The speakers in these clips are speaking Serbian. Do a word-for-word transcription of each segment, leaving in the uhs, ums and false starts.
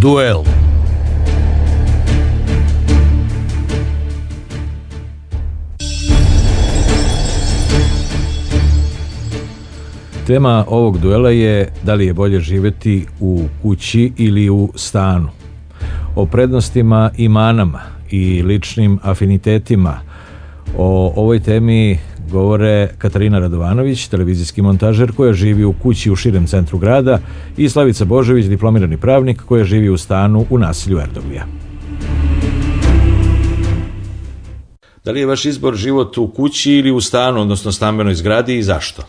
Duel. Tema ovog duela je da li je bolje živjeti u kući ili u stanu. O prednostima i manama i ličnim afinitetima o ovoj temi govore Katarina Radovanović, televizijski montažer koja živi u kući u širem centru grada, i Slavica Božović, diplomirani pravnik koja živi u stanu u naselju Erdoglija. Da li je vaš izbor život u kući ili u stanu, odnosno stambenoj zgradi, i zašto?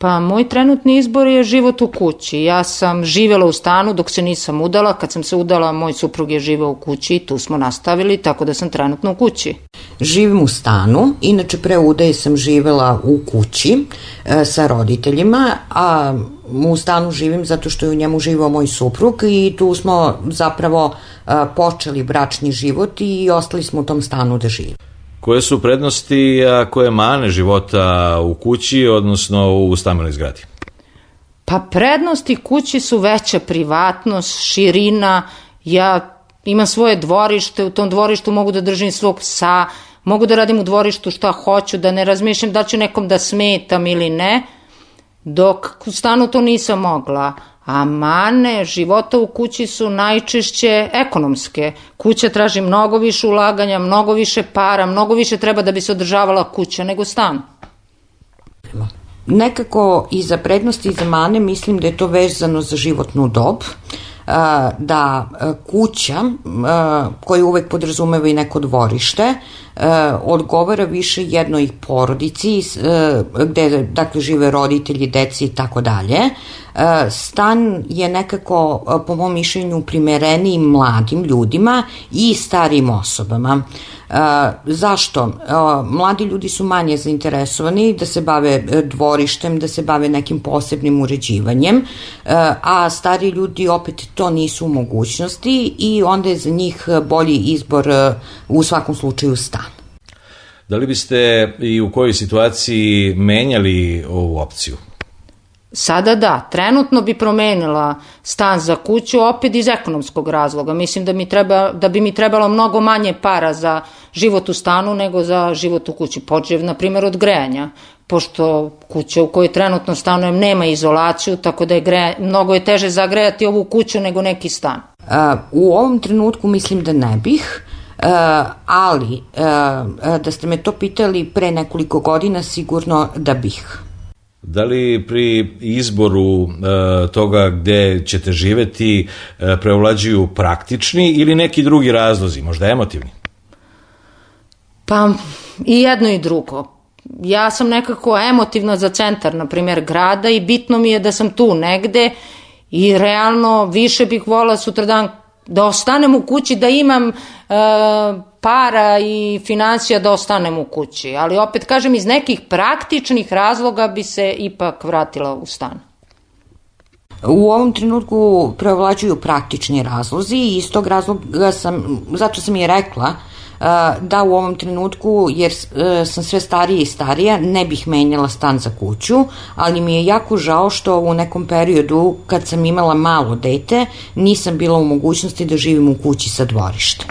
Pa moj trenutni izbor je život u kući. Ja sam živjela u stanu dok se nisam udala. Kad sam se udala, moj suprug je živeo u kući i tu smo nastavili, tako da sam trenutno u kući. Živim u stanu, inače pre udaje sam živjela u kući e, sa roditeljima, a u stanu živim zato što je u njemu živao moj suprug i tu smo zapravo e, počeli bračni život i ostali smo u tom stanu da živimo. Koje su prednosti, a koje mane života u kući, odnosno u stambenoj zgradi? Pa prednosti kući su veća privatnost, širina. Ja imam svoje dvorište, u tom dvorištu mogu da držim svog psa, mogu da radim u dvorištu šta hoću, da ne razmišljam da ću nekom da smetam ili ne, dok u stanu to nisam mogla. A mane života u kući su najčešće ekonomske. Kuća traži mnogo više ulaganja, mnogo više para, mnogo više treba da bi se održavala kuća nego stan. Nekako i za prednosti i za mane mislim da je to vezano za životnu dob, da kuća koja uvek podrazumeva i neko dvorište odgovara više jednoj porodici gde dakle žive roditelji, deci i tako dalje. Stan je nekako po mom mišljenju primereniji mladim ljudima i starijim osobama. Zašto? Mladi ljudi su manje zainteresovani da se bave dvorištem, da se bave nekim posebnim uređivanjem, a stariji ljudi opet to nisu u mogućnosti i onda je za njih bolji izbor u svakom slučaju stan. Da li biste i u kojoj situaciji menjali ovu opciju? Sada da, trenutno bi promenila stan za kuću opet iz ekonomskog razloga. Mislim da, mi treba, da bi mi trebalo mnogo manje para za život u stanu nego za život u kući. Počev, na primjer, od grejanja, pošto kuća u kojoj trenutno stanujem nema izolaciju, tako da je greja, mnogo je teže zagrejati ovu kuću nego neki stan. Uh, u ovom trenutku mislim da ne bih. Uh, ali uh, da ste me to pitali pre nekoliko godina, sigurno da bih. Da li pri izboru uh, toga gde ćete živeti uh, preovlađuju praktični ili neki drugi razlozi, možda emotivni? Pa i jedno i drugo. Ja sam nekako emotivna za centar, na primjer, grada i bitno mi je da sam tu negde i realno više bih volila sutradan da ostanem u kući, da imam e, para i financija da ostanem u kući. Ali opet kažem, iz nekih praktičnih razloga bi se ipak vratila u stan. U ovom trenutku preovlađuju praktični razlozi i iz tog razloga sam, zato sam i rekla da u ovom trenutku, jer sam sve starija i starija, ne bih menjala stan za kuću, ali mi je jako žao što u nekom periodu kad sam imala malo dete nisam bila u mogućnosti da živim u kući sa dvorištem.